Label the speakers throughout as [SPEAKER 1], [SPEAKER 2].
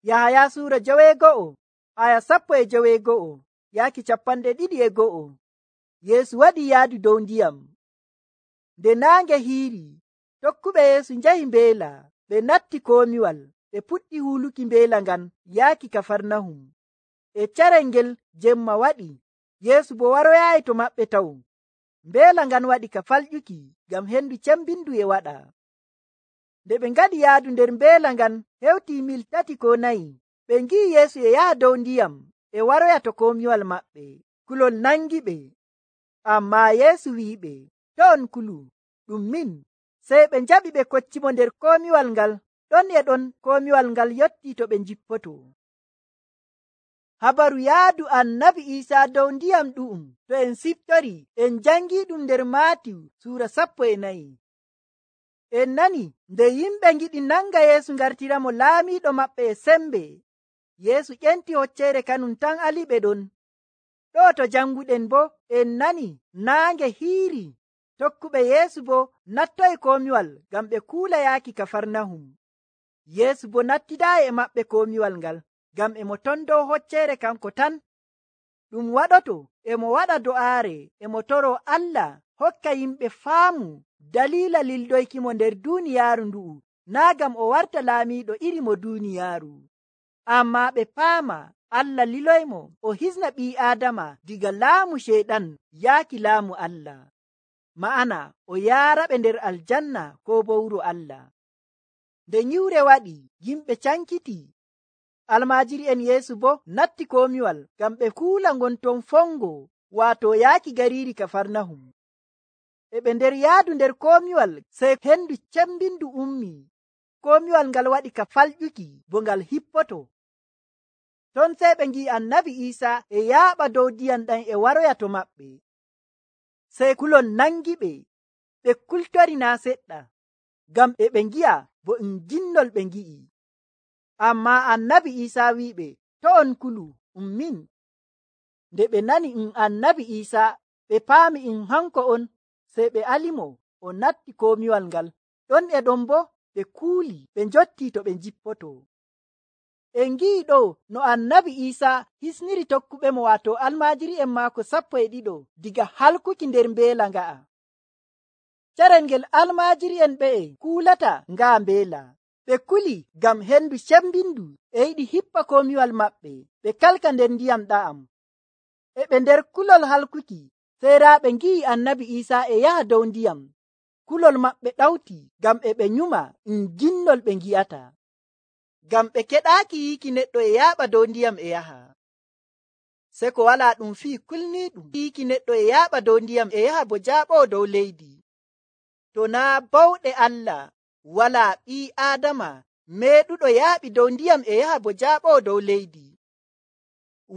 [SPEAKER 1] Yahaya suura 9 aya 12 yaaki 22. Yeesu waɗi yaadu dow ndiyam. Nde naange hiiri, tokkuɓe Yeesu njahi mbeela, ɓe natti komiwal, ɓe puɗɗi huluki mbeela ngan yaaki Kafarnahum. E carel ngel jemma waɗi, Yeesu bo waroyaayi to maɓɓe taw. Mbeela ngan waɗi ka falƴuki ngam hendu cembindu e waɗa. Nde ɓe ngaɗi yaadu nder mbeela ngan hewti mil 3 ko 4, ɓe ngi'i Yeesu e yaha dow ndiyam e waroya to komiwal maɓɓe. Kulol nangi ɓe. Ammaa Yeesu wi'iɓe, to on kulu, ɗum min. Sey ɓe njaɓi ɓe koccimo nder komiwal ngal. Ɗon e ɗon komiwal ngal yotti to ɓe njippoto. Habaru yaadu annabi Iisaa dow ndiyam ɗu'um to en siftori en jangi ɗum nder Maatiyu suura 14. En nani nde yimɓe ngiɗi nanga Yeesu ngartiramo laamiiɗo maɓɓe e sembe. Yeesu ƴenti hocceere kanum tan aliɓe ɗon. Ɗo to janguɗen bo en nani naange hiiri. Tokkuɓe Yeesu bo nattoyi komiwal ngam ɓe kuula yaaki Kafarnahum. Yeesu bo nattidaayi e maɓɓe komiwal ngal ngam emo ton dow hocceere kanko tan. Ɗum waɗoto emo waɗa do'aare emo toro Allah hokka yimɓe faamu dalila lildoykimo nder duuniyaaru ndu'u, naa ngam o warta laamiiɗo iri mo duuniyaaru. Ammaa ɓe paama Allah liloymo o hisna ɓii Aadama diga laamu Ceyɗan yaaki laamu Allah. Ma'ana o yaaraɓe nder aljanna ko bo wuro Allah. Nde nyiwre waɗi, yimɓe cankiti. Almaajiri'en Yeesu bo natti komiwal ngam ɓe kuula ngon ton fongo, waato yaaki gariiri Kafarnahum. E ɓe nder yaadu nder komiwal, sey hendu cembindu ummi. Komiwal ngal waɗi ka falƴuki bo ngal hippoto. Ton sey ɓe ngi'i annabi Iisaa e yaaɓa dow ndiyam ɗan e waroya to maɓɓe. Sey kulol nangi ɓe. Ɓe kultori naa seɗɗa, ngam e ɓe ngi'a bo ginnol ɓe ngi'i. Ammaa annabi Iisaa wi'iɓe, to on kulu, min. Nde ɓe nani annabi Iisaa, ɓe paami hanko on, sey ɓe alimo o natti komiwal ngal. Ɗon e ɗon bo ɓe kuuli ɓe njotti to ɓe njippoto. En ngi'i ɗo no annabi Iisaa hisniri tokkuɓemo, waato almaajiri'en maako 12 diga halkuki nder mbeela nga'a. Carel ngel almaajiri'en ɓe'e kuulata ngaa mbeela. Ɓe kuli ngam hendu cembindu e yiɗi hippa komiwal maɓɓe ɓe kalka nder ndiyam ɗa'am. E ɓe nder kulol halkuki, seeraaɓe ngi'i annabi Iisaa e yaha dow ndiyam. Kulol maɓɓe ɗawti ngam e ɓe nyuma ginnol ɓe ngi'ata. Ngam ɓe keɗaaki yiiki neɗɗo e yaaɓa dow ndiyam e yaha. Se ko walaa ɗum fii kulniiɗum yiiki neɗɗo e yaaɓa dow ndiyam e yaha bo jaaɓoo dow leydi. To naa bawɗe Allah, walaa ɓii Aadama meeɗuɗo yaaɓi dow ndiyam e yaha bo jaaɓoo dow leydi.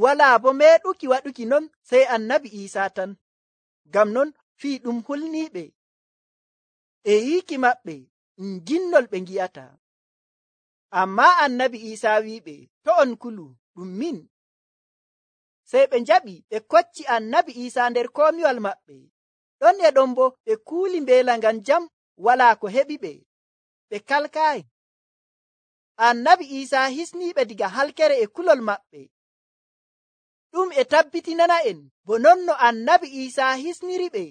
[SPEAKER 1] Walaa bo meeɗuki waɗuki non sey annabi Iisaa tan. Ngam non fii ɗum hulniiɓe e yiiki maɓɓe ginnol ɓe ngi'ata. Ammaa annabi Iisaa wi'iɓe, to on kulu, ɗum min. Sey ɓe njaɓi ɓe kocci annabi Iisaa nder komiwal maɓɓe. Ɗon e ɗon bo ɓe kuuli mbeela ngan jam, walaa ko heɓiɓe. Ɓe kalkaayi. Annabi Iisaa hisniiɓe diga halkere e kulol maɓɓe. Ɗum e tabbitinana en bo non no annabi Iisaa hisniri ɓe,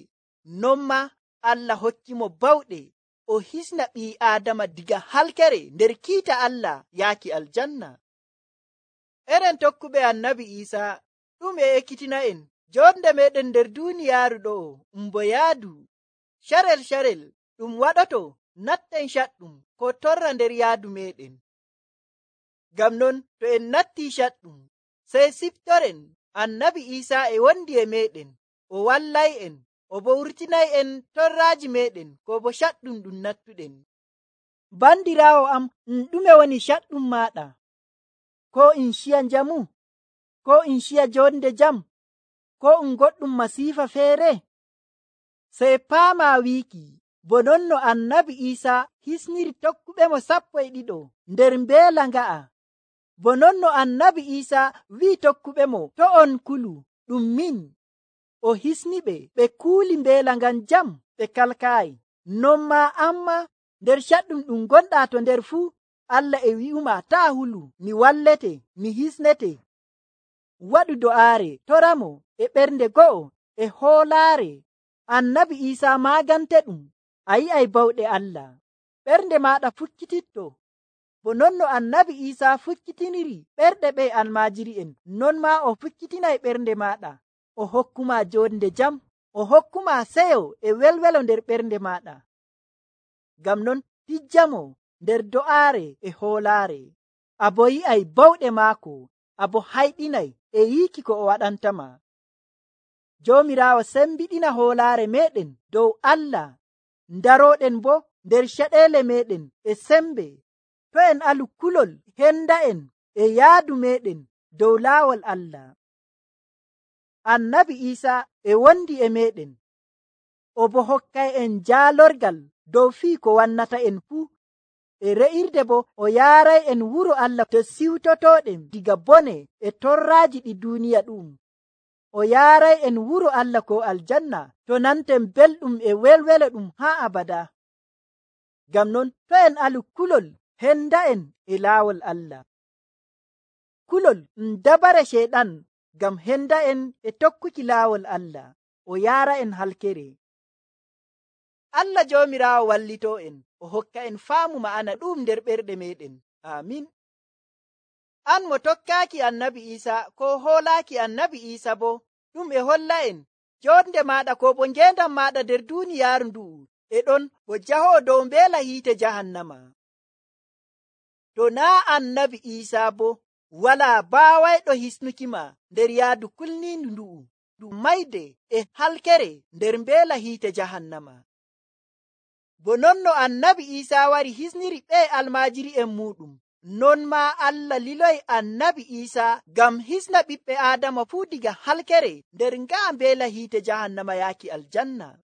[SPEAKER 1] non ma Allah hokkimo bawɗe o hisna ɓii Aadama diga halkere nder kiita Allah yaaki aljanna. Eren tokkuɓe annabi Iisaa, ɗum e ekkitina en jonde meɗen nder duuniyaaru ɗo bo yaadu. Carel ɗum waɗoto natten caɗɗum ko torra nder yaadu meɗen. Ngam non to en natti caɗɗum, sey siftoren annabi Iisaa e wondi e meɗen, o wallay'en, o bo wurtinay en torraaji meɗen ko bo caɗɗum ɗum nattuɗen. Bandiraawo am, ɗume woni caɗɗum maaɗa? Ko in ciya njamu? Ko in ciya jonde jam? Ko goɗɗum masiifa feere? Sey paama wiiki bo non no annabi Iisaa hisniri tokkuɓemo 12 nder mbeela nga'a. Bo non no annabi Iisaa wi'i tokkuɓemo, to on kulu, ɗum min. O hisniɓe ɓe kuuli mbeela ngan jam, ɓe kalkaayi. Non ma amma nder caɗɗum ɗum gonɗa to nder fuu, Allah e wi'uma taa hulu, mi wallete, mi hisnete. Waɗu do'aare, toramo e ɓernde go'o e hoolaare. Annabi Iisaa maagante ɗum. A yi'ay bawɗe Allah. Ɓernde maaɗa fukkititto. Bo non no annabi Iisaa fukkitiniri ɓerɗe ɓe almaajiri'en, non maa o fukkitinay ɓernde maaɗa. O hokkuma jonde jam, o hokkuma seyo e welwelo nder ɓernde maaɗa. Ngam non tijjamo nder do'aare e hoolaare. Abo yi'ay bawɗe maako, abo hayɗinay e yiiki ko o waɗantama. Joomiraawo sembiɗina hoolaare meɗen dow Allah, darooɗen bo nder caɗeele meɗen e sembe. To en alu kulol henda'en e yaadu meɗen dow laawol Allah. Annabi Iisaa e wondi e meɗen, o bo hokkay en jaalorgal dow fii ko wannata en fuu. E re'irde bo o yaaray en wuro Allah to siwtotoɗen diga bone e torraaji ɗi duuniya ɗum. O yaaray en wuro Allah ko aljanna to nanten belɗum e welwelo ɗum haa abada. Ngam non to en alu kulol henda'en e laawol Allah. Kulol dabare sheeɗan ngam henda'en e tokkuki laawol Allah, o yaara en halkere. Allah Joomiraawo wallito en, o hokka en faamu ma'ana ɗum nder ɓerɗe meɗen. Amin. An mo tokkaaki annabi Iisaa ko hoolaaki annabi Iisaa bo, ɗum e holla en jonde maɗa ko bo ngendam maɗa nder duniyaaru ndu'u e ɗon bo jahowo dow mbeela hiite jahannama. To naa annabi Iisaa bo wala baawayɗo hisnukima nder yaadu kulniindu ndu'u, ɗum mayde e halkere nder mbeela hiite jahannama. Bo non no annabi Iisaa wari hisniri ɓe almaajiri'en muɗum, non maa Allah liloy annabi Iisaa ngam hisna ɓiɓɓe Aadama fuu diga halkere nder ngaa mbeela hiite jahannama yaaki aljanna.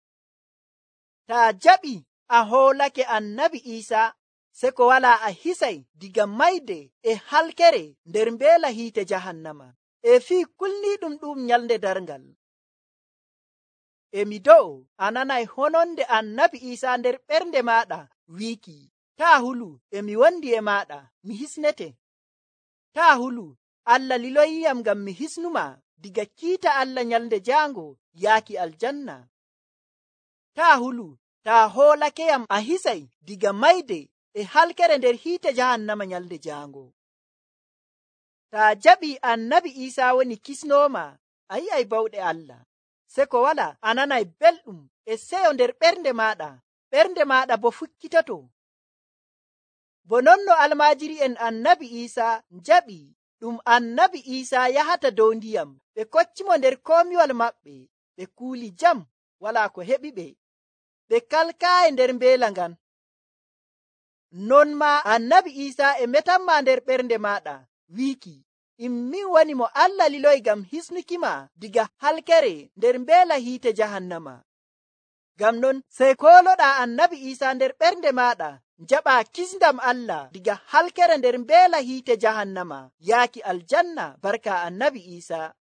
[SPEAKER 1] Taa jaɓi a hoolake annabi Iisaa, se ko wala a hisay diga mayde e halkere nder mbeela hiite jahannama e fii kulniiɗum ɗum nyalnde darngal. Emi do'o a nanay hononde annabi Iisaa nder ɓernde maɗa wiiki, taa hulu, emi wondi e maɗa, mi hisnete. Taa hulu, Allah liloyiyam ngam mi hisnuma diga kiita Allah nyalnde jaango yaaki aljanna. Taa hulu, taa hoolakeyam a hisay diga mayde e halkere nder hiite jahannama nyalnde jaango. Taa jaɓi annabi Iisaa woni kisnooma, a yi'ay bawɗe Allah. Se ko wala a nanay belɗum e seyo nder ɓernde maɗa bo fukkitoto. Bo non no almaajiri'en annabi Iisaa jaɓi ɗum annabi Iisaa yahata dow ndiyam, ɓe koccimo nder komiwal maɓɓe, ɓe kuuli jam, wala ko heɓi ɓe kalkaayi nder mbeela ngan. Non maa annabi Iisaa e metanma nder ɓernde maɗa wiiki, min woni mo Allah liloy ngam hisnukima diga halkere nder mbeela hiite jahannama. Ngam non sey kooloɗa annabi Iisaa nder ɓernde maɗa, jaɓa kisndam Allah diga halkere nder mbeela hiite jahannama yaaki aljanna barka annabi Iisaa.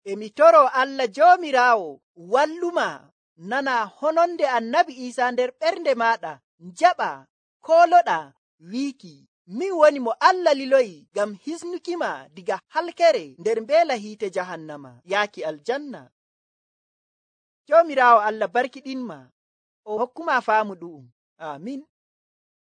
[SPEAKER 1] Emi toro Allah Joomiraawo walluma nana hononde annabi Iisaa nder ɓernde maɗa, jaɓa kooloɗa wiiki, min woni mo Allah liloyi ngam hisnukima diga halkere nder mbeela hiite jahannama yaaki aljanna. Joomiraawo Allah barkiɗinma, o hokkuma faamu ɗu'um. Amin.